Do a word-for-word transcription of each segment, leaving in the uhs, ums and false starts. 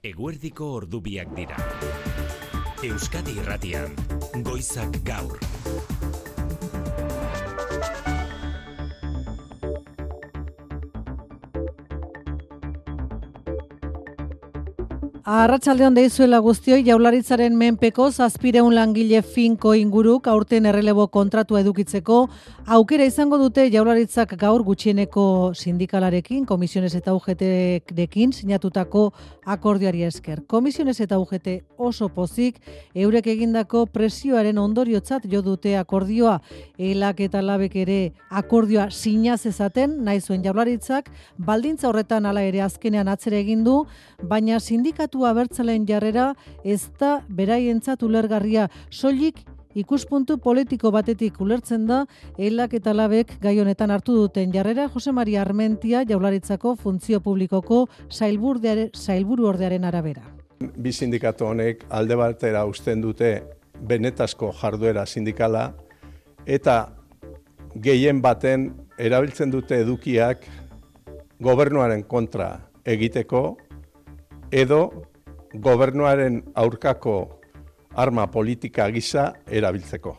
Eguerdiko ordubiak dira. Euskadi Irratian, Goizak Gaur. Arratsaldeon deizuela guztioi, Jaurlaritzaren menpeko zazpiehun langile finko inguruk aurten errelebo kontratua edukitzeko aukera izango dute Jaurlaritzak gaur gutxieneko sindikalarekin, Komisiones eta U G T-rekin sinatutako akordioari esker. Komisiones eta U G T oso pozik eurek egindako presioaren ondoriotzat jo dute akordioa. Elak eta labek ere akordioa sinaz ezaten, nahi zuen Jaurlaritzak, baldintza horretan hala ere azkenean atzera egin du, baina sindikatu abertzaleen jarrera ez da beraientzat ulergarria, soilik ikuspuntu politiko batetik ulertzen da elak eta labek gai honetan hartu duten jarrera. Jose Maria Armentia, Jaurlaritzako Funtzio Publikoko sailburu ordearen arabera. Bi sindikatu honek alde batera uzten dute benetazko jarduera sindikala eta gehien baten erabiltzen dute edukiak gobernuaren kontra egiteko edo gobernuaren aurkako arma politika gisa erabiltzeko.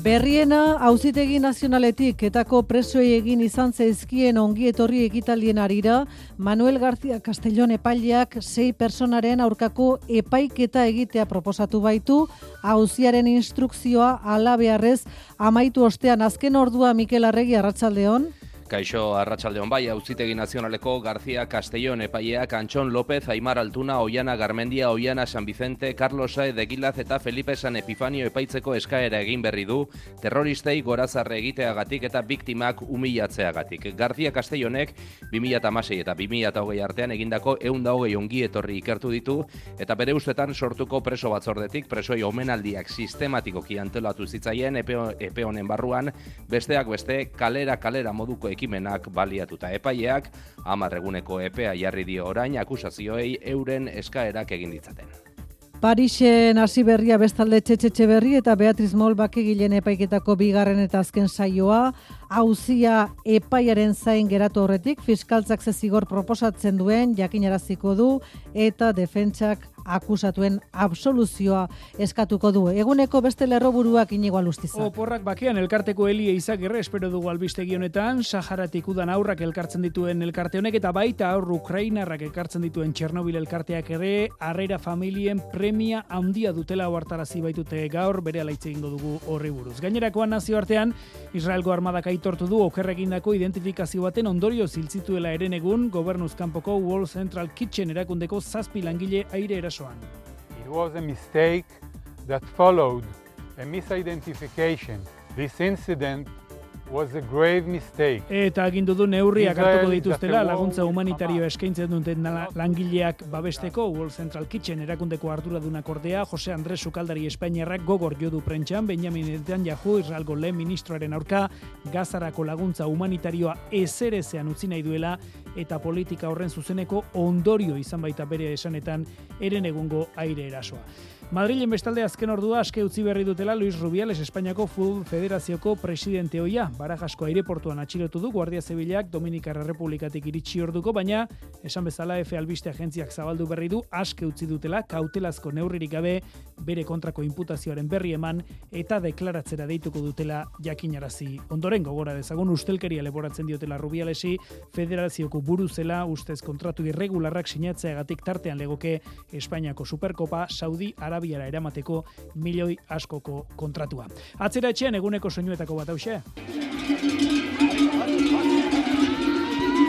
Berriena, Auzitegi Nazionaletik etako presoei egin izan zaizkien ongi etorri ekitaldien harira, Manuel García Castellón epaileak sei personaren aurkako epaiketa egitea proposatu baitu, auziaren instrukzioa halabeharrez amaitu ostean. Azken ordua, Mikel Arregi, arratsaldeon. Kaixo, arratsaldeon bai, Auzitegi Nazionaleko García Castellón epaileak Antxon López, Aimar Altuna, Oiana Garmendia, Oiana San Vicente, Carlos Saez de Gilaz eta Felipe San Epifanio epaitzeko eskaera egin berri du, terroristei gorazarre egiteagatik eta biktimak humilatzeagatik. García Castellonek bi mila hamasei eta bi mila hogei artean egindako ehun eta hogei ongi etorri ikertu ditu eta bere ustetan sortuko preso batzordetik presoi omenaldiak sistematikoki antolatu zitzaien epe, epe honen barruan, besteak beste kalera kalera moduko ekimenak baliatuta. Epaileak hamar eguneko epea jarri dio orain akusazioei euren eskaerak egin ditzaten. Parisen hasi berria bestalde Txetxetxe berri eta Beatriz Mol bakegileen epaiketako bigarren eta azken saioa, auzia epaiaren zain geratu horretik, fiskaltzak ze zigor proposatzen duen jakinaraziko du eta defentsak akusatuen absoluzioa eskatuko du. Eguneko beste lerroburuak Inigo Alustiza. Oporrak bakean elkarteko Eli Eizagirre espero dugu albistegi honetan, Saharatik udan aurrak elkartzen dituen elkarte honek eta baita aur Ukrainarrak elkartzen dituen Txernobil elkarteak ere harrera familien premia handia dutela ohartarazi baitute gaur, berehala hitz egingo dugu horri buruz. Gainerakoan nazioartean Israelgo armadak aitortu du okerregindako identifikazio baten ondorio ziltzituela eren egun gobernuz kanpoko World Central Kitchen erakundeko zazpi langile aire erasoan. It was a mistake that followed a misidentification. This incident was a grave mistake. Eta agindu du neurriak hartuko dituztela laguntza humanitarioa eskaintzen duten langileak babesteko. World Central Kitchen erakundeko arduradunak ordea, Jose Andres Sukaldari Espainiarrak gogor jodu prentxan, Benjamin Netanyahu Israelgo lehen ministroaren aurka Gazarako laguntza humanitarioa ezerezean utzi nahi duela eta politika horren zuzeneko ondorio izan baita bere esanetan eren egungo aire erasoa. Madrilen bestalde azken ordua aske utzi berri dutela Luis Rubiales Espainiako Futbol Federazioko presidente ohia. Barajasko aireportuan atxilotu du Guardia Zibilak Dominikar Errepublikatik iritsi orduko, baina esan bezala Efe Albiste agentziak zabaldu berri du aske utzi dutela kautelazko neurririk gabe bere kontrako inputazioaren berri eman eta deklaratzera deituko dutela jakinarazi. Ondoren gogora dezagun ustelkeria leporatzen diotela Rubialesi, federazioko buru zela ustez kontratu irregularrak sinatzeagatik tartean legoke Espainiako Superkopa Saudi Arabiara eramateko milioi askoko kontratua. Atzera etxean eguneko soinuetako bat hauxe.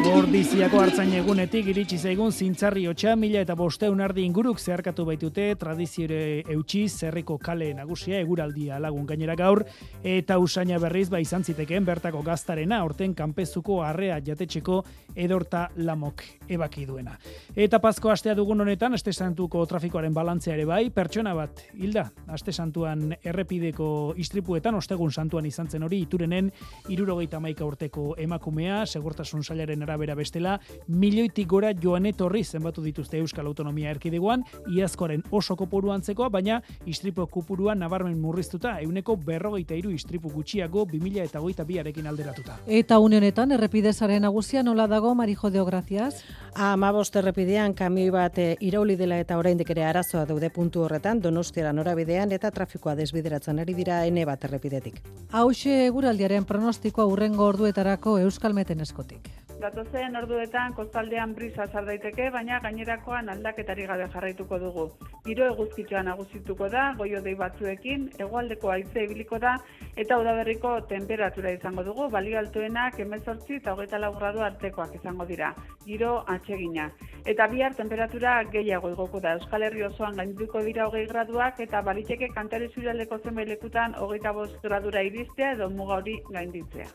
Ordiziako hartzain egunetik iritsi zaigun zintzarri hotxa, mila eta bosteun ardi inguruk zeharkatu baitute tradiziore eutxi zerriko kale nagusia eguraldia lagun gainera gaur, eta usaina berriz ba izan zitekeen bertako gaztarena, horten kanpezuko arrea jatetxeko edorta lamok ebaki duena. Eta Pasko astea dugun honetan, aste santuko trafikoaren balantzea ere bai, pertsona bat hilda, aste santuan errepideko istripuetan, ostegun santuan izan zen hori, Iturenen hirurogeita hamaika urteko emakumea, segurtasun sailaren arabera arabera bestela, milioitik gora joan etorri zenbatu dituzte Euskal Autonomia Erkidegoan, iazkoaren oso kopuru antzekoa, baina istripu kopurua nabarmen murriztuta, euneko berrogeita hiru istripu gutxiago bi mila hogeita biarekin alderatuta. Eta une honetan, errepidezaren nagusia nola dago, Marijodeo, gracias? Amabost errepidean kamioi bat e, irauli dela eta oraindik ere arazoa daude puntu horretan, Donostiara norabidean eta trafikoa desbideratzen ari dira ene bat errepidetik. Hauxe eguraldiaren pronostikoa hurrengo orduetarako Euskalmeten eskotik. Datozen orduetan kostaldean brisa sar daiteke, baina gainerakoan aldaketari gabe jarraituko dugu. Giro eguzkitsua nagusituko da, goiodei batzuekin, hegoaldeko haize ibiliko da eta udaberriko temperatura izango dugu, balio altuenak hemezortzi eta hogeita lau gradu artekoak izango dira. Giro atsegina. Eta bihar temperatura gehiago igoko da. Euskal Herri osoan gaindituko dira hogei graduak eta baliteke Kantari Zurialdeko zenbait lekutan hogeita bost gradura iristea edo muga hori gainditzea.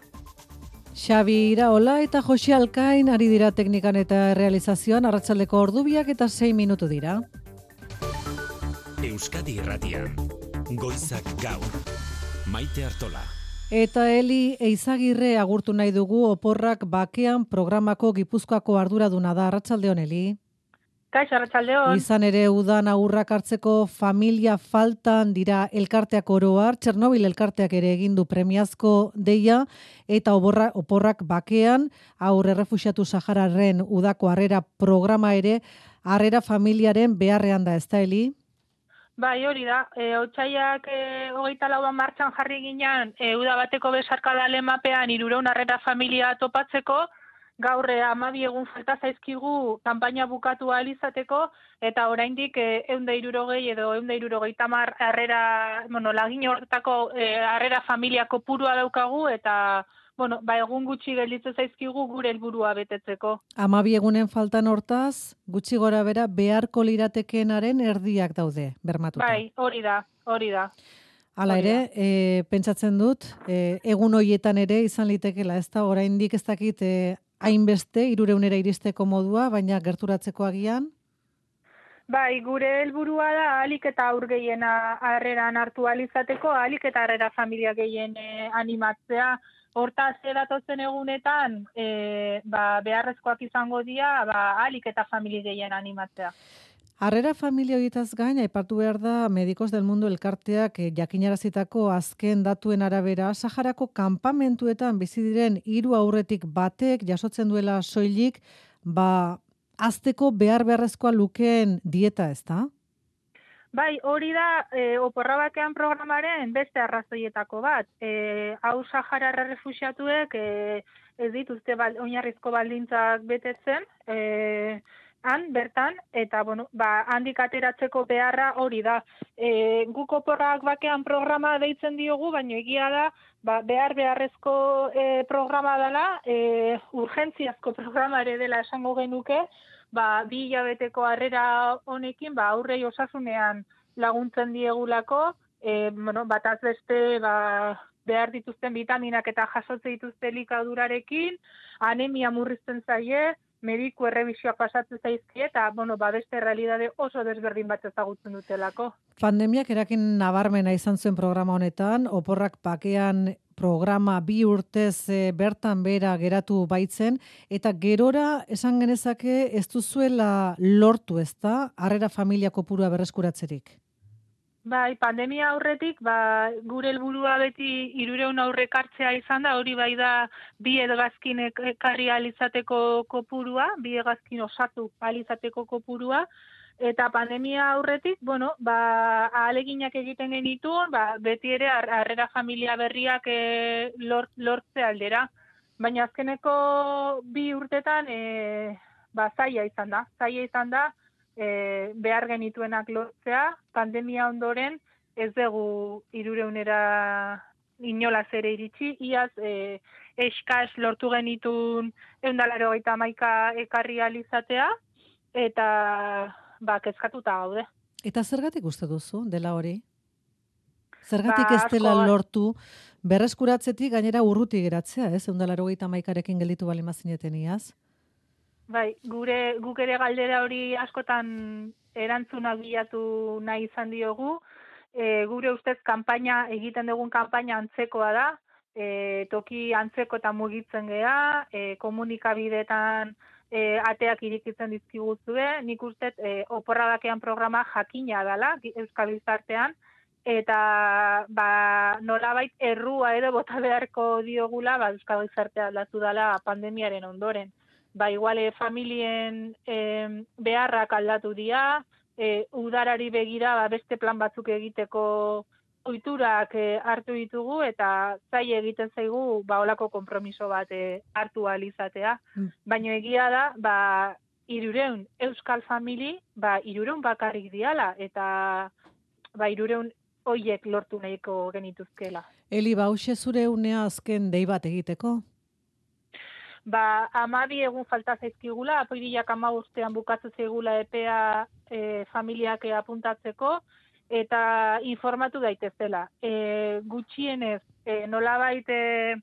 Xabi Iraola eta Josi Alkain ari dira teknikan eta realizazioan, arratsaldeko ordubiak eta sei minutu dira. Euskadi Irratian, Goizak Gaur, Maite Artola. Eta Eli Eizagirre agurtu nahi dugu Oporrak Bakean programako Gipuzkoako arduraduna da. Arratsaldeon, Eli. Kaixo, arratsaldeon. Izan ere udan aurrak hartzeko familia faltan dira elkarteak oroar, Txernobil elkarteak ere egin du premiazko deia, eta oborra, Oporrak Bakean aur errefuxiatu Sahararen udako harrera programa ere harrera familiaren beharrean da, ezta, Eli? Bai, hori da. E, Otsaiak e, hogeita lauan martxan jarri ginean, e, uda bateko besarkada lemapean hirureun harrera familia topatzeko, gaur hamabi egun falta zaizkigu kanpaina bukatu ahal izateko, eta oraindik e, ehun eta hirurogei edo ehun eta hirurogeita hamar harrera, bueno, lagin horretako e, harrera familia kopurua daukagu, eta bueno, ba, egun gutxi gelditzen zaizkigu gure helburua betetzeko. Hamabi egunen faltan hortaz, gutxi gora bera beharko liratekeenaren erdiak daude, bermatuta. Bai, hori da, hori da. Hala ere, e, pentsatzen dut, e, egun hoietan ere izan litekela, ez da, oraindik ez dakit e, hainbeste, hirureunera iristeko modua, baina gerturatzeko agian? Bai, gure helburua da ahalik eta aur gehiena harreran hartu ahal izateko, ahalik eta harrera familia gehien e, animatzea. Hortaz, edatozen egunetan, e, ba, beharrezkoak izango dira, ba, ahalik eta familia gehien animatzea. Harrera familia horietaz gain, aipatu behar da Medikos del Mundo elkarteak eh, jakinarazitako azken datuen arabera, Saharako kanpamentuetan bizi diren hiru aurretik batek jasotzen duela soilik, ba, azteko behar beharrezkoa lukeen dieta, ez da? Bai, hori da e, Oporra Bakean programaren beste arrazoietako bat. E, hau Saharar errefuxiatuek e, ez dituzte bal, oinarrizko baldintzak betetzen, e, han, bertan, eta bueno, ba, handik ateratzeko beharra hori da. E, guk Oporrak Bakean programa deitzen diogu, baina egia da, ba, behar beharrezko e, programa dela, e, urgentziazko programa ere dela esango genuke, ba, bi hilabeteko harrera honekin, ba, aurrei osasunean laguntzen diegulako, e, bueno, bataz beste, ba, behar dituzten vitaminak eta jasotze dituzte elikadurarekin, anemia murrizten zaie, mediku errebisioak pasatzen zaizkie, eta, bueno, ba, beste realidade oso desberdin bat ezagutzen dutelako. Pandemiak erakin nabarmena izan zuen programa honetan, Oporrak Bakean programa bi urtez e, bertan bera geratu baitzen, eta gerora esan genezake ez duzuela lortu, ez da, harrera familia kopurua berreskuratzerik? Bai, pandemia aurretik, ba, gure helburua beti hirureun aurrek hartzea izan da, hori bai da bi hegazkin ekarri ahal izateko kopurua, bi hegazkin osatu ahal izateko kopurua, eta pandemia aurretik, bueno, ba, ahaleginak egiten genituen, ba, beti ere harrera familia berriak e, lort, lortze aldera. Baina azkeneko bi urtetan e, ba, zaila izan da. Zaila izan da e, behar genituenak lortzea, pandemia ondoren ez dugu hirureunera inolaz ere iritsi, iaz e, eskas lortu genitun ehun eta laurogeita hamaika ekarri ahal izatea, eta ba, kezkatuta gaude. Eta zergatik uste duzu, dela hori? Zergatik Ba, ez dela asko- lortu berreskuratzetik gainera urruti geratzea, ez? ehun eta laurogeita hamaikarekin gelditu bali mazineten iaz? Bai, gure guk ere galdera hori askotan erantzuna bilatu nahi izan diogu. E, gure ustez kanpaina egiten dugun kanpaina antzekoa da. e, toki antzeko eta mugitzen gea, e, komunikabideetan e, ateak irikitzen dizkiguzue, nik uste e, oporra bakean programa jakina dela Euskal Gizartean, eta ba, nolabait errua edo bota beharko diogula ba, Euskal Gizartea aldatu dela pandemiaren ondoren. Ba, igual, e, familien e, beharrak aldatu dira, e, udarari begira ba, beste plan batzuk egiteko ohiturak e, hartu ditugu eta zai egiten zaigu ba holako konpromiso bat e, hartu ahal izatea. Mm. Baina egia da, ba hirurehun euskal famili, ba hirurehun bakarrik diala eta ba hirurehun hoiek lortu nahiko genituzkela. Eli, ba hoxe zure unea azken dei bat egiteko? Ba, hamabi egun falta zaizkigula, apirilak hamabostean bukatu zaigula epea e, familiak apuntatzeko, eta informatu daitezela. E, gutxienez, e, nolabait e,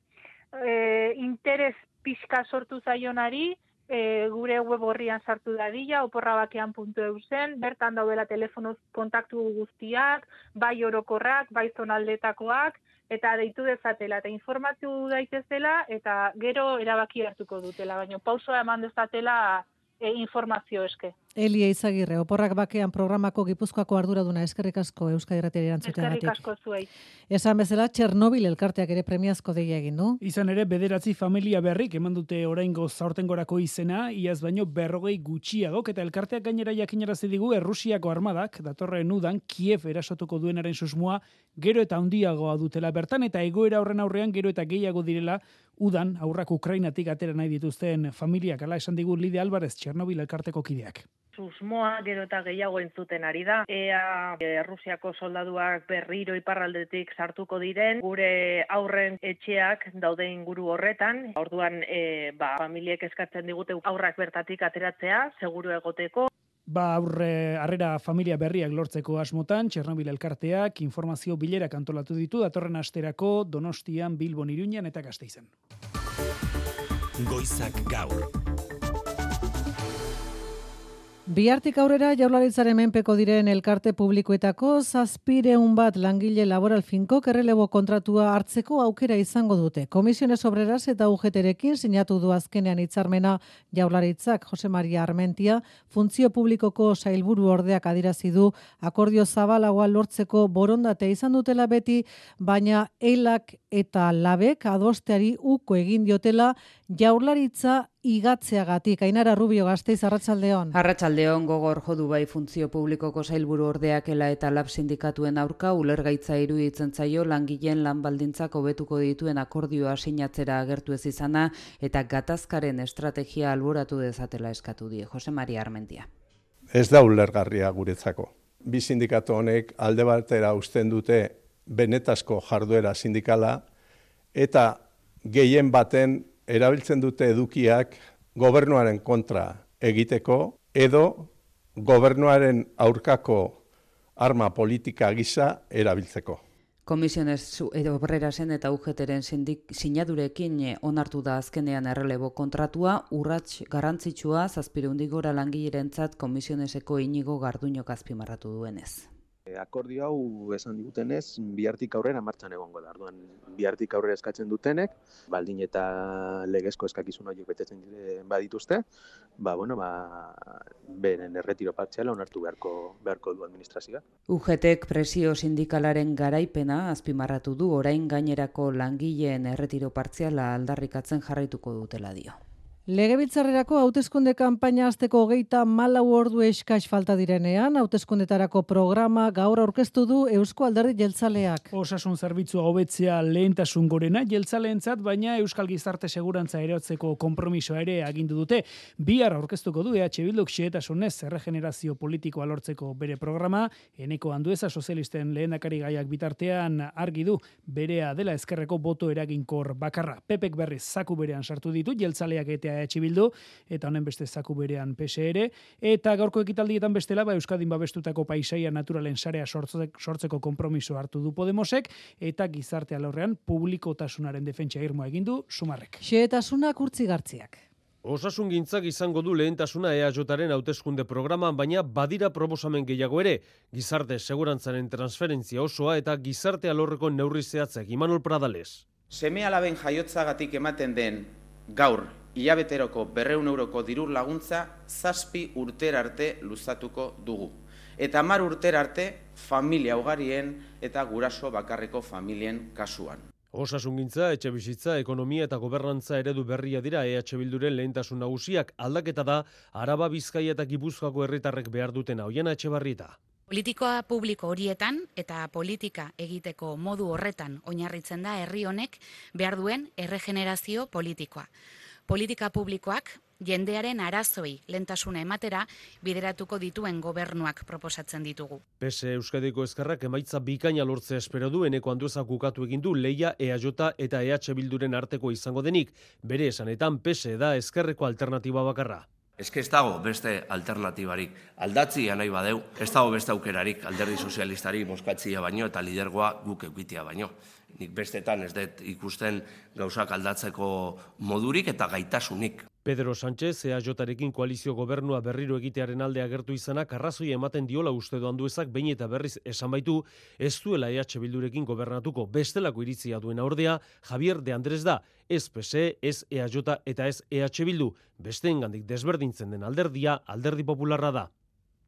e, interes pixka sortu zaionari, e, gure web horrian sartu dadila, oporrabakean puntu eu zen, bertan daudela telefonoz kontaktu guztiak, bai orokorrak, bai zonaldetakoak, eta deitu dezatela, eta informatu daitezela, eta gero erabaki hartuko dutela, baina pausoa eman dezatela e, informazio eske. Eli Eizagirre, Oporrak Bakean programako Gipuzkoako arduraduna, eskerrik asko Euskadi Irratiari erantzuteagatik. Eskerrik asko zuei. Esan bezala, Txernobil elkarteak ere premiazko deia egin du. Izan ere, bederatzi familia berrik eman dute oraingo zaurtengorako izena, iaz baino berrogei gutxiagok, eta elkarteak gainera jakinarazi digu Errusiako armadak, datorren udan, Kiev erasotuko duenaren susmoa, gero eta handiagoa dutela bertan, eta egoera horren aurrean gero eta gehiago direla, udan, aurrak Ukrainatik atera nahi dituzten familiak, ala esan digu Lidia Alvarez, Txernobil elkarteko kideak. Susmoa gero eta gehiago entzuten ari da. Ea Errusiako soldaduak berriro iparraldetik sartuko diren, gure aurren etxeak daude inguru horretan. Orduan e, ba, familiek eskatzen digute aurrak bertatik ateratzea, seguru egoteko. Ba, aurre harrera familia berriak lortzeko asmotan, Txernobil elkarteak informazio bilerak antolatu ditu, datorren asterako Donostian, Bilbon, Iruñan eta Gasteizen. Goizak gaur. Bihartik aurrera Jaurlaritzaren menpeko diren elkarte publikoetako zazpireun bat langile laboral finkok errelebo kontratua hartzeko aukera izango dute. Komisiones Obreras eta U G T-rekin sinatu du azkenean hitzarmena Jaurlaritzak. Jose Maria Armentia, funtzio publikoko sailburu ordeak adierazi du akordio zabalagoa lortzeko borondatea izan dutela beti, baina elak eta labek adosteari uko egin diotela Jaurlaritza igatzeagatik. Ainara Rubio, Gasteiz, arratsaldeon. Arratsaldeon, gogor jodu bai funtzio publikoko sailburu ordeak ela eta lab sindikatuen aurka ulergaitza iruditzen zaio langileen lan baldintzak hobetuko dituen akordioa sinatzera agertu ez izana eta gatazkaren estrategia alboratu dezatela eskatu die. Jose Maria Armentia. Ez da ulergarria guretzako. Bi sindikatu honek alde batera uzten dute benetazko jarduera sindikala eta gehien baten erabiltzen dute edukiak gobernuaren kontra egiteko edo gobernuaren aurkako arma politika gisa erabiltzeko. Komisiones Obrerasen eta U G T-ren sinadurekin onartu da azkenean errelebo kontratua, urrats garrantzitsua zazpireundik gora langilerentzat Komisioneseko Inigo Garduñok azpimarratu duenez. Akordio hau esan digutenez, bihartik aurrera martxan egongo da. Orduan, bihartik aurrera eskatzen dutenek, baldin eta legezko eskakizun horiek betetzen badituzte, ba, bueno, ba, beren erretiro partziala onartu beharko, beharko du administrazioak. U G T-ek presio sindikalaren garaipena azpimarratu du, orain gainerako langileen erretiro partziala aldarrikatzen jarraituko dutela dio. Legebiltzarrerako hauteskunde kanpaina hasteko hogeita malau ordu eskas falta direnean, hauteskundetarako programa gaur aurkeztu du Eusko Alderdi Jeltzaleak. Osasun zerbitzua hobetzea lehentasun gorena jeltzaleentzat, baina Euskal Gizarte Segurantza erotzeko konpromisoa ere agindu dute. Bihar aurkeztuko du E H Bilduk xehetasunez erregenerazio politikoa lortzeko bere programa, Eneko Andueza sozialisten lehendakari gaiak bitartean argi du berea dela ezkerreko boto eraginkor bakarra. Pepek berriz zaku berean sartu ditu jeltzaleak eta E H Bildu, eta honen beste zaku berean P S ere, eta gaurko ekitaldietan bestela, ba, Euskadin babestutako paisaia naturalen sarea sortzeko konpromiso hartu du Podemosek, eta gizarte alorrean publikotasunaren defentsa irmoa egin du Sumarrek. Xehetasunak urtzigartziak. Osasungintzak izango du lehentasuna E H Ren hauteskunde programan, baina badira proposamen gehiago ere, gizarte segurantzaren transferentzia osoa eta gizarte alorreko neurri zehatzek. Imanol Pradales. Seme-alaben jaiotzagatik ematen den gaur hilabeteroko berrehun euroko dirur laguntza zazpi urtera arte luzatuko dugu. Eta hamar urtera arte familia ugarien eta guraso bakarreko familien kasuan. Osasungintza, etxebizitza, ekonomia eta gobernantza eredu berria dira E H Bilduren lehentasun nagusiak. Aldaketa da Araba, Bizkaia eta Gipuzkoako herritarrek behar dutena. Oiana Etxebarrieta. Politikoa publiko horietan eta politika egiteko modu horretan oinarritzen da herri honek behar duen erregenerazio politikoa. Politika publikoak jendearen arazoi lentasuna ematera bideratuko dituen gobernuak proposatzen ditugu. P S Euskadiko Ezkerrak emaitza bikaina lortzea espero du. Eneko Anduezak ukatu egin du Leia, E A J eta E H Bilduren arteko izango denik. Bere esanetan P S da ezkerreko alternatiba bakarra. Ez ez dago beste alternatibarik. Aldatzia nahi badeu, ez dago beste aukerarik alderdi sozialistari boskatzia baino eta lidergoa guk eukitia baino. Nik bestetan ez dut ikusten gauzak aldatzeko modurik eta gaitasunik. Pedro Sánchez, E A Jarekin koalizio gobernua berriro egitearen alde agertu izanak arrazoi ematen diola uste du Anduezak behin eta berriz esan baitu ez duela E H Bildurekin gobernatuko. Bestelako iritzia duena ordea Javier de Andrés da, ez P S E, ez E A J eta ez E H Bildu. Besteengandik desberdintzen den alderdia Alderdi Popularra da.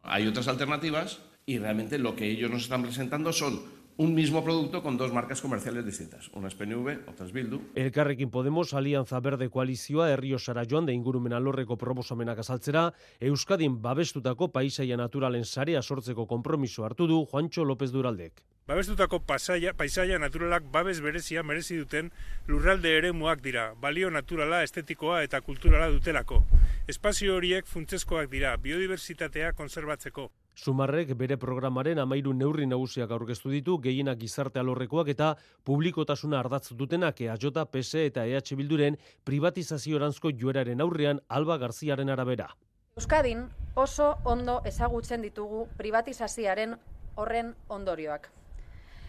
Hay otras alternativas y realmente lo que ellos nos están presentando son un mismo producto con dos marcas comerciales distintas. Una es P N V, otra es Bildu. Elkarrekin Podemos, Alianza Verde koalizioa Herriosara joan da ingurumen alorreko proposamenak azaltzera, Euskadin babestutako paisaia naturalen sarea sortzeko konpromiso hartu du Juancho López Duraldek. Babestutako pasaia, paisaia naturalak babes berezia merezi duten lurralde eremuak dira, balio naturala, estetikoa eta kulturala dutelako. Espazio horiek funtsezkoak dira, biodiversitatea konserbatzeko. Sumarrek bere programaren amairu neurri nagusiak aurkeztu ditu, gehienak gizarte alorrekoak eta publikotasuna ardatz dutenak E A J, P S eta E H Bilduren privatizazioranzko joeraren aurrean Alba Garziaren arabera. Euskadin oso ondo ezagutzen ditugu privatizazioaren horren ondorioak.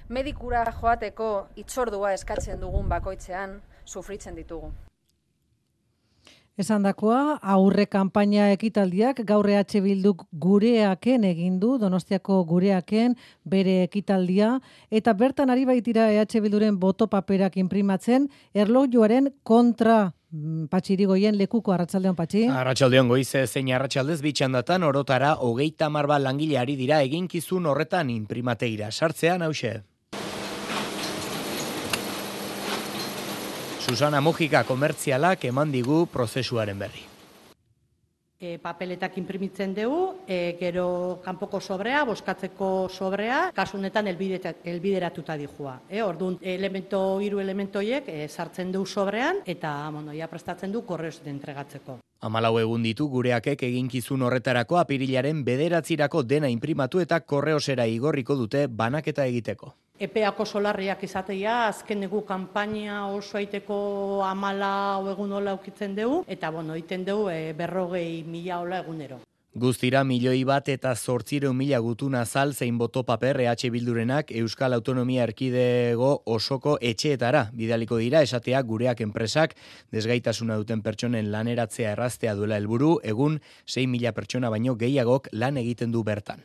Medikura joateko itzordua eskatzen dugun bakoitzean sufritzen ditugu. Esandakoa, aurre kanpaina ekitaldiak gaur E H Bilduk gureaken egin du, Donostiako gureaken bere ekitaldia, eta bertan ari baitira E H Bilduren boto paperak inprimatzen, erlojuaren kontra Patxirigoien lekuko. Arratsaldeon, Patxi. Arratsaldeon, Goize, zein arratsaldez bitxandatan orotara hogeita hamar bat langile ari dira eginkizun horretan inprimateira sartzean hauxe. Susana Mujika komertzialak eman digu prozesuaren berri. E, papeletak inprimitzen dugu, e, gero kanpoko sobrea, boskatzeko sobrea, kasunetan elbideratuta dijua. E, orduan, elemento, hiru elementoiek e, sartzen du sobrean, eta bueno, ja prestatzen du korreoz de entregatzeko. Hamalau egun ditu gureakek eginkizun horretarako apirilaren bederatzirako dena inprimatu eta korreosera igorriko dute banaketa egiteko. Epeako solarriak izatea, azken egu kanpaina oso aiteko amala egun hola ukitzen dugu, eta bueno, iten dugu e, berrogei mila hola egunero. Guztira milioi bat eta zortzireun mila gutuna zal zein boto paper E H Bildurenak Euskal Autonomia Erkidego osoko etxeetara bidaliko dira, esatea gureak enpresak desgaitasuna duten pertsonen laneratzea erraztea duela helburu, egun sei mila pertsona baino gehiagok lan egiten du bertan.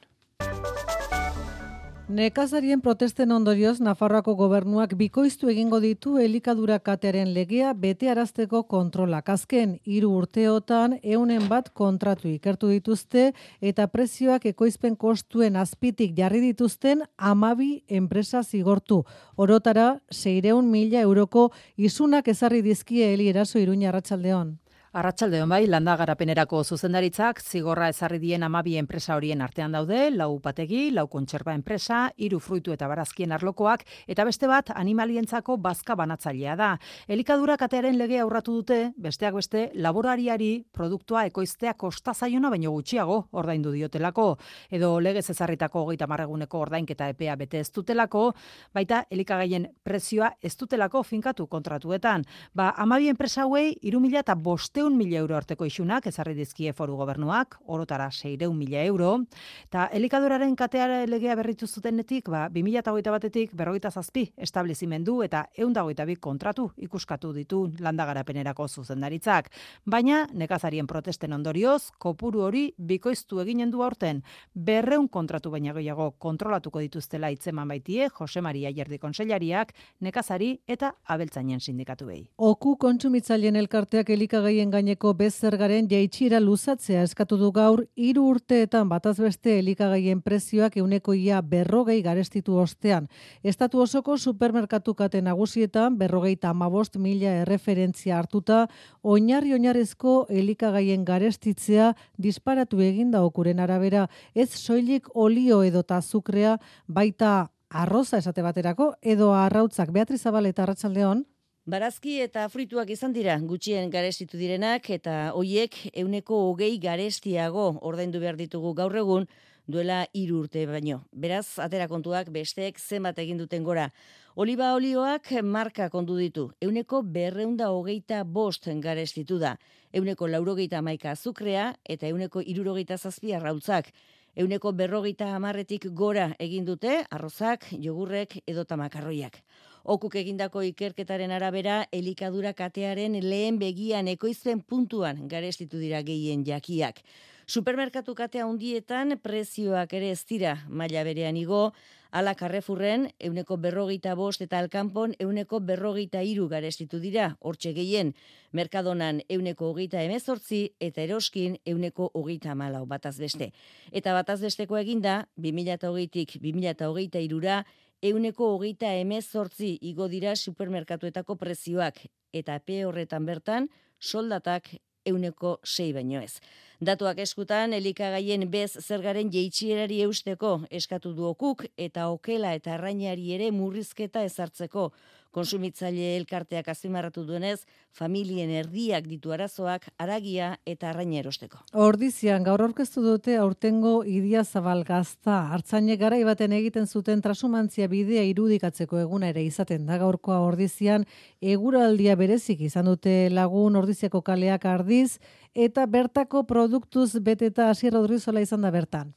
Nekazarien protesten ondorioz, Nafarroako gobernuak bikoiztu egingo ditu elikadura katearen legea betearazteko kontrolak. Azken hiru urteotan eunen bat kontratu ikertu dituzte eta prezioak ekoizpen kostuen azpitik jarri dituzten hamabi enpresa zigortu. Orotara seiehun mila euroko isunak ezarri dizkie Eli Eraso Iruña. Arratsaldeon. Arratsaldeon bai, landa garapenerako zuzendaritzak zigorra ezarri dien hamabi enpresa horien artean daude, lau upategi, lau kontserba enpresa, hiru fruitu eta barazkien arlokoak, eta beste bat animalientzako bazka banatzailea da. Elikadura katearen legea aurratu dute, besteak beste, laborariari produktua ekoiztea kosta zaiona baino gutxiago ordaindu diotelako, edo legez ezarritako hogeita hamar eguneko ordainketa epea bete ez dutelako, baita elikagaien prezioa ez dutelako finkatu kontratuetan. Ba, hamabi enpresa hauei hiru mila bostehun seiehun mila euro arteko isunak ezarri dizkie foru gobernuak, orotara seiehun mila euro, eta elikaduraren katea legea berritu zutenetik, ba, bi mila hogeita batetik berrogeita zazpi establezimendu eta ehun eta hogeita bi kontratu ikuskatu ditu landagarapenerako zuzendaritzak. Baina, nekazarien protesten ondorioz, kopuru hori bikoiztu eginen du aurten, berreun kontratu baina gehiago kontrolatuko dituztela hitzeman baitie Jose Maria Jardi konseilariak, nekazari eta abeltzainen sindikatuei. Oku kontsumitzaileen elkarteak elikagaien gaineko bezergaren jaitsiera luzatzea eskatu du gaur, hiru urteetan bataz beste elikagaien prezioak ehuneko ia berrogei garestitu ostean. Estatu osoko supermerkatu kate nagusietan berrogeita hamabost mila erreferentzia hartuta, oinarri oinarrezko elikagaien garestitzea disparatu eginda okuren arabera, ez soilik olio edota azukrea, baita arroza esate baterako, edo arrautzak. Beatriz Zabal eta Arratsaldeon. Barazki eta fruituak izan dira gutxien garestitu direnak eta hoiek ehuneko hogei garestiago ordaindu behar ditugu gaur egun duela hiru urte baino. Beraz, atera kontuak besteek zenbat egin duten gora. Oliba olioak marka kondu ditu. Ehuneko berreunda hogeita bost garestitu da. Ehuneko laurogeita hamaika azukrea eta ehuneko hirurogeita zazpi arrautzak. Ehuneko berrogeita hamarretik gora egin dute arrozak, jogurrek edota makarroiak. Okuk egindako ikerketaren arabera, elikadura katearen lehen begian ekoizpen puntuan garestitu dira gehien jakiak. Supermerkatu katea hundietan prezioak ere ez dira maila berean igo, ala Carrefourren ehuneko berrogeita bost eta Alkanpon ehuneko berrogeita hiru garestitu dira, hortxe gehien. Merkadonan ehuneko hogeita hemezortzi eta Eroskin ehuneko hogeita hamalau bataz beste. Eta bataz besteko eginda, bi mila hogeitik bi mila hogeita hirura ehuneko hogeita hemezortzi igo dira supermerkatuetako prezioak eta epe horretan bertan soldatak ehuneko sei baino ez. Datuak eskutan, elikagaien bez zergaren jeitxierari eusteko eskatu du okuk eta okela eta arrainari ere murrizketa ezartzeko. Konsumitzaile elkarteak azpimarratu duenez, familien erdiak ditu arazoak aragia eta arraina erosteko. Ordizian gaur aurkeztu dute aurtengo Idiazabal gazta. Artzainek garai baten egiten zuten trasumantzia bidea irudikatzeko eguna ere izaten da gaurkoa Ordizian, eguraldia berezik izan dute lagun Ordiziako kaleak ardiz eta bertako produktuz beteta Asier Rodrizola izan da bertan.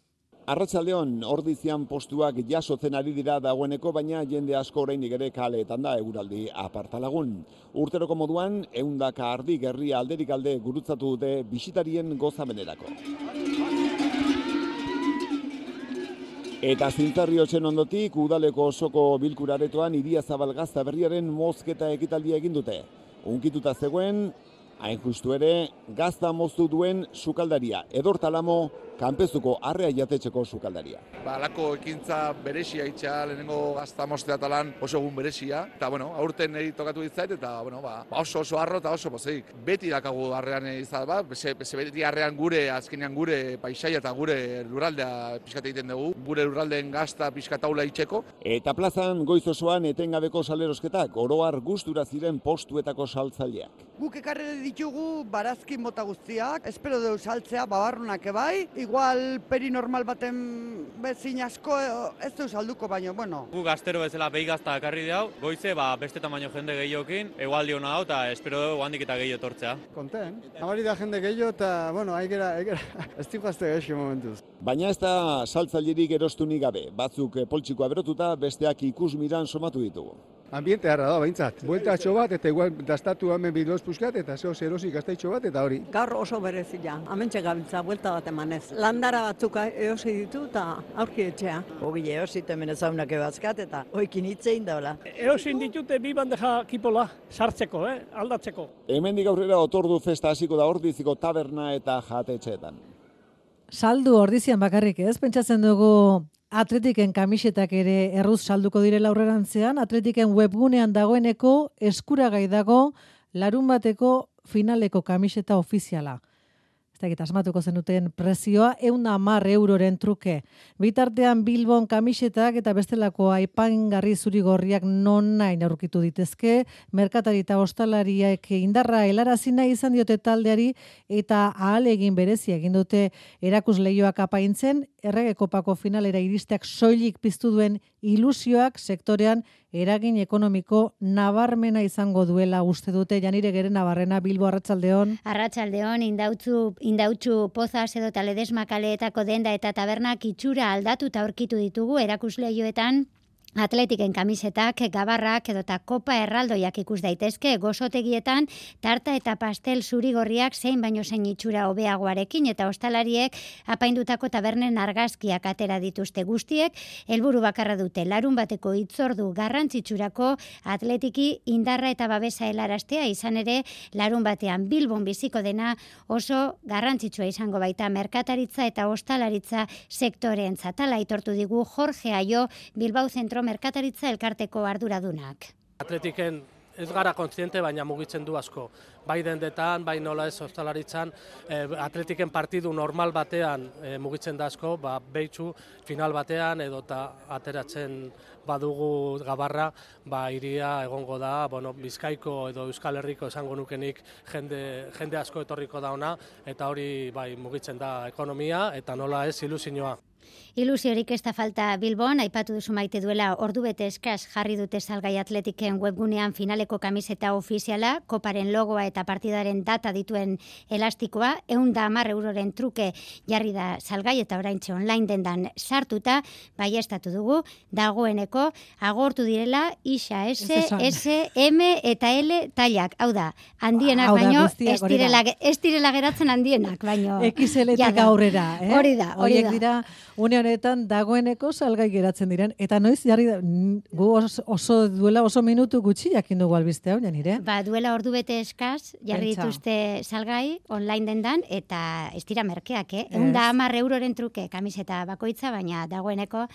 Arratsaldeon, Ordizian postuak jasotzen ari dira dagoeneko, baina jende asko oraindik ere kaleetan da eguraldi apartalagun. Urteroko moduan, ehundaka ardi gerria alderik alde gurutzatu dute bisitarien gozamenerako. Eta zintzarriotzen ondotik, udaleko osoko bilkuraretoan Idiazabal gazta berriaren mozketa ekitaldia egin dute. Unkituta zegoen, hain justu ere, gazta moztu duen sukaldaria, Edortalamo, kanpezuko arrea jatetxeko sukaldaria. Ba, alako ekintza berezia itxa, lehenengo gazta moztea talan oso egun berezia, eta bueno, aurten eri tokatu ditzait, eta bueno, ba, oso oso arro eta oso pozik. Beti dakagu arrean izan, ba, bese, bese beti arrean gure, azkenean gure paisaia eta gure lurraldea pixkat egiten dugu, gure lurraldeen gazta pixkataula itxeko. Eta plazan goiz osoan etengabeko salerosketak, oroar gustura ziren postuetako saltzaileak. Guk ekarri ditugu barazki mota guztiak, espero dugu saltzea babarrunak ebai, igual perinormal baten bezin asko ez du salduko baino, bueno. Gu gaztero bezala behi gazta ekarri dau, goize ba, beste tamaino jende gehiokin, egualdi hona hau eta espero dugu handik eta gehiago tortzea. Konten, amari da jende gehiago eta, bueno, haikera, haikera, ez tikazte gaixo momentuz. Baina ez da saltzailerik erostunik gabe, batzuk poltsikoa berotuta, besteak ikusmiran somatu ditugu. Ambiente harra da, behintzat. Bueltatxo bat, eta igual dastatu hemen biloz puskat, eta zeo zerosik gaztaitxo bat, eta hori. Gaur oso berezia, amentxe gabiltza, buelta bat emanez. Landara batzuk eosi ditu, eta aurki etxea. Ogile eosit hemen ezaunak ebazkat, eta oikin hitzein daula. Eosin ditute bi bandeja kipola, sartzeko, eh? Aldatzeko. Hemendik aurrera otordu festa hasiko da Ordiziko taberna eta jatetxeetan. Saldu Ordizian bakarrik ez, pentsatzen dugu Atletiken kamisetak ere erruz salduko direla aurrerantzean, Atletiken webgunean dagoeneko eskuragai dago larun bateko finaleko kamiseta ofiziala. Ez dakit asmatuko zenuten prezioa, ehun eta hamar euroren truke. Bitartean Bilbon kamisetak eta bestelako aipaingarri zuri-gorriak non nahi aurkitu ditezke, merkatari eta ostalariak indarra helarazi nahi izan diote taldeari eta ahalegin berezia egin dute erakusleioak apaintzen, Errege Kopako finalera iristeak soilik piztu duen ilusioak sektorean eragin ekonomiko nabarmena izango duela uste dute. Janire Gere Nabarrena, Bilbo, arratsaldeon. Arratsaldeon, indautzu, indautzu pozaz edo Ledesma kaleetako denda eta tabernak itxura aldatuta aurkitu ditugu erakusleioetan. Atletiken kamisetak, gabarrak edota kopa erraldoiak ikus daitezke, gozotegietan tarta eta pastel zurigorriak zein baino zein itxura hobeagoarekin eta ostalariek apaindutako tabernen argazkiak atera dituzte guztiek, helburu bakarra dute larun bateko hitzordu garrantzitsurako atletiki indarra eta babesa helaraztea, izan ere larun batean Bilbon biziko dena oso garrantzitsua izango baita merkataritza eta ostalaritza sektoreentzat. Hala aitortu digu Jorge Aio, Bilbao Zentro Merkataritza elkarteko arduradunak. Atletiken ez gara kontziente, baina mugitzen du asko. Bai dendetan, bai nola ez ostalaritzan, eh, atletiken partidu normal batean eh, mugitzen da asko, ba, behitzu final batean edota ateratzen badugu gabarra, ba, iria egongo da, bueno, Bizkaiko edo Euskal Herriko esango nukenik jende, jende asko etorriko da ona, eta hori bai mugitzen da ekonomia eta nola ez ilusioa. Ilusiorik ez da falta Bilbon, aipatu duzu Maite duela ordu bete eskas jarri dute salgai Atletiken webgunean finaleko kamiseta ofiziala, koparen logoa eta partidaren data dituen elastikoa, ehun eta hamar euroren truke jarri da salgai eta oraintxe online dendan sartuta, baiestatu dugu, dagoeneko agortu direla Isa S, S, M eta L tailak, hau da, handienak baino, ez direla, ez direla geratzen handienak, baino. X L-etik aurrera, eh? Hori da, hori da. Dira, une honetan dagoeneko salgai geratzen diren. Eta noiz jarri da, gu oso, oso duela oso minutu gutxi jakin dugu albiste hau, Janire? Ba, duela ordu bete eskaz, jarri dituzte salgai online dendan, eta ez dira merkeak, eh? Ehun eta hamar euroren truke kamiseta bakoitza, baina dagoeneko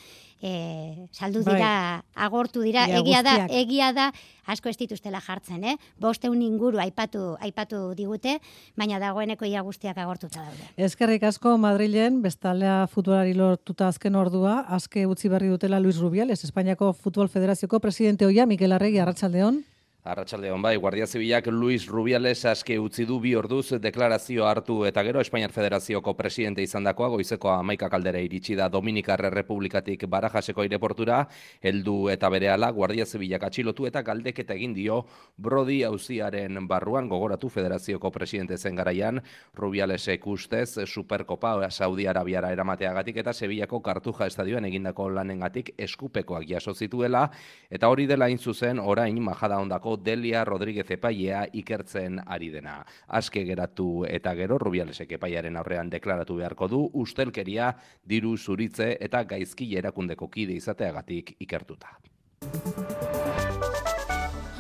eh, saldu dira, bai. Agortu dira, Ia, egia guztiak. da, egia da, asko ez dituztela jartzen, eh? Bosteun inguru aipatu, aipatu digute, baina dagoeneko ia guztiak agortuta daude. Eskerrik asko Madrilen, bestalea futbolari lortuta azken ordua, azke utzi berri dutela Luis Rubiales, Espainiako Futbol Federazioko presidente oia, Mikel Arregi, arratsaldeon. Arratsaldeon bai, Guardia Zibilak Luis Rubiales aske utzi du bi orduz deklarazio hartu eta gero Espainiar Federazioko presidente izandakoa goizeko hamaika kaldera iritsi da Dominikar Errepublikatik Barajaseko aireportura, heldu eta berehala Guardia Zibilak atxilotu eta galdeketa egin dio Brody auziaren barruan, gogoratu Federazioko presidente zen garaian, Rubialesek ustez Superkopa Saudi Arabiara eramateagatik eta Sevillako Kartuja estadioan egindako lanengatik eskupekoak jaso zituela, eta hori dela hain zuzen orain Majada Ondako Delia Rodríguez epailea ikertzen ari dena. Aske geratu eta gero Rubialesek epaiaren aurrean deklaratu beharko du ustelkeria, diru zuritze eta gaizki erakundeko kide izateagatik ikertuta.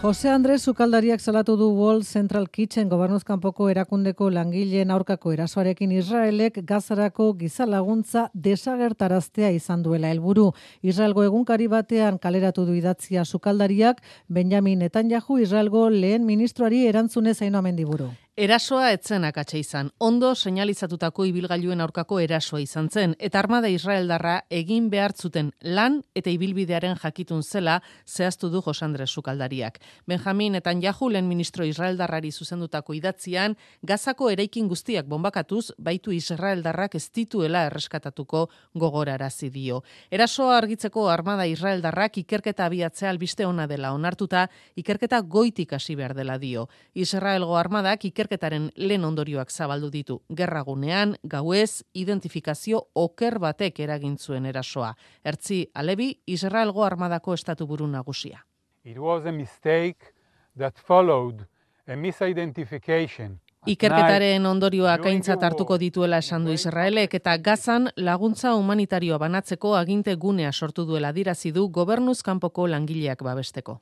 Jose Andres Sukaldariak salatu du Wall Central Kitchen gobernuzkanpoko erakundeko langileen aurkako erasoarekin Israelek Gazarako giza laguntza desagertaraztea izan duela helburu. Israelgo egunkari batean kaleratu du idatzia Sukaldariak, Benjamin Netanyahu Israelgo lehen ministroari erantzunez Aino Mendiburu. Erasoa etzen akatsa izan, ondo seinalizatutako ibilgailuen aurkako erasoa izan zen, eta armada israeldarra egin behartzuten lan eta ibilbidearen jakitun zela zehaztu du Jose Andres Sukaldariak. Benjamin Netanyahu lehen ministro israeldarrari zuzendutako idatzian, Gazako eraikin guztiak bombakatuz, baitu israeldarrak ez dituela erreskatatuko gogorarazi dio. Erasoa argitzeko armada israeldarrak ikerketa abiatzea albiste ona dela onartuta, ikerketa goitik hasi behar dela dio. Israelgo armadak ikerketa ikerketaren lehen ondorioak zabaldu ditu. Gerragunean, gauez, identifikazio oker batek eragin zuen erasoa. Ertzi Alebi, Israelgo armadako estatu buru nagusia. It was a mistake that followed a misidentification. Ikerketaren ondorioak aintzat hartuko dituela esan du Israelek eta Gazan laguntza humanitarioa banatzeko aginte gunea sortu duela dirazi du gobernuz kanpoko langileak babesteko.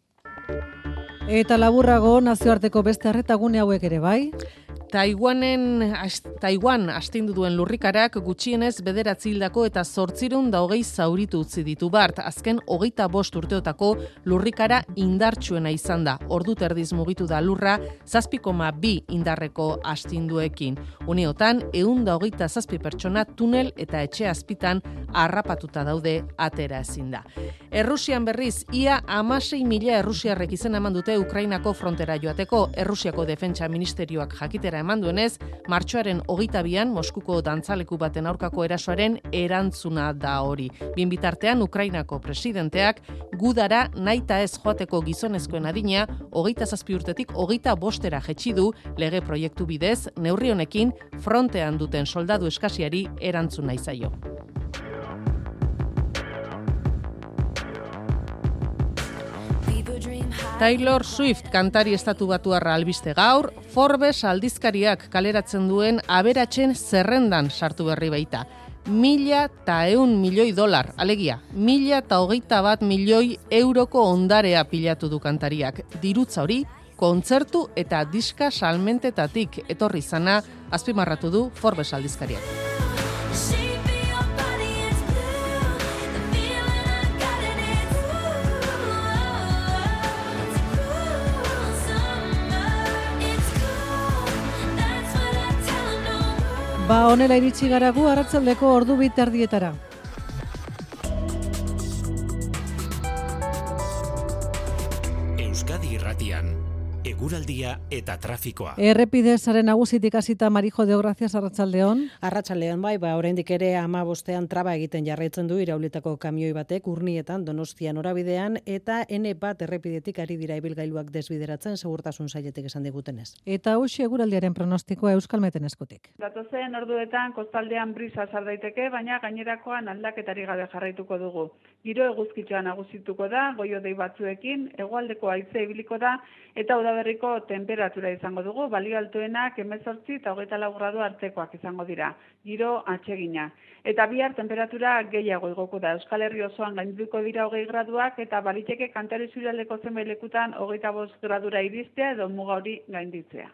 Eta laburrago nazioarteko beste arretagune hauek ere bai? Taiwanen, Taiwan astindu duen lurrikarak gutxienez bederatzi hildako eta zortzirun da hogei zauritu utzi ditu bart. Azken hogeita bost urteotako lurrikara indartsuena izan da. Ordu terdiz mugitu da lurra zazpi koma bi indarreko astinduekin. Uneotan, ehun da hogeita zazpi pertsona tunel eta etxe azpitan harrapatuta daude atera ezin da. Errusian berriz, ia hamasei mila errusiarrek izena eman dute Ukrainako frontera joateko. Errusiako defentsa ministerioak jakitera eman duenez, martxoaren hogeita bian Moskuko dantzaleku baten aurkako erasoaren erantzuna da hori. Bien bitartean, Ukrainako presidenteak gudara naita ez joateko gizonezkoen adina hogeita zazpi urtetik hogeita bostera jetxi du lege proiektu bidez, neurri honekin frontean duten soldadu eskasiari erantzun nahi zaio. Taylor Swift kantari estatu batuarra albiste gaur, Forbes aldizkariak kaleratzen duen aberatsen zerrendan sartu berri baita. Mila eta eun milioi dolar, alegia, mila eta hogeita bat milioi euroko ondarea pilatu du kantariak. Dirutza hori, kontzertu eta diska salmentetatik etorri zana azpimarratu du Forbes aldizkariak. Ba, honela iritsi garagu arratsaldeko ordu bi terdietara. Euskadi Irratian, eguraldia eta trafikoa. Errepide sare nagusitik hasita Marijo de Gracias arratsaldeon. Arratsaldeon bai, ba oraindik ere hamabostean traba egiten jarraitzen du iraulitako kamioi batek Urnietan Donostia norabidean eta N bat errepidetik ari dira ibilgailuak desbideratzen segurtasun sailetik esan digutenez. Eta hoxe eguraldiaren pronostikoa Euskalmeten eskutik. Datozen orduetan kostaldean brisa sar daiteke, baina gainerakoan aldaketari gabe jarraituko dugu. Giro eguzkitxoa nagusituko da, goio-dei batzuekin, hegoaldeko haize ibiliko da eta udaberriko temperatura izango dugu, balio altuenak hemezortzi eta hogeita lau gradu artekoak izango dira. Giro atsegina. Eta bihar temperatura gehiago igoko da. Euskal Herri osoan gaindituko dira hogei graduak eta baliteke kantari zurialdeko zenbait lekutan hogeita bost gradura iristea edo muga hori gainditzea.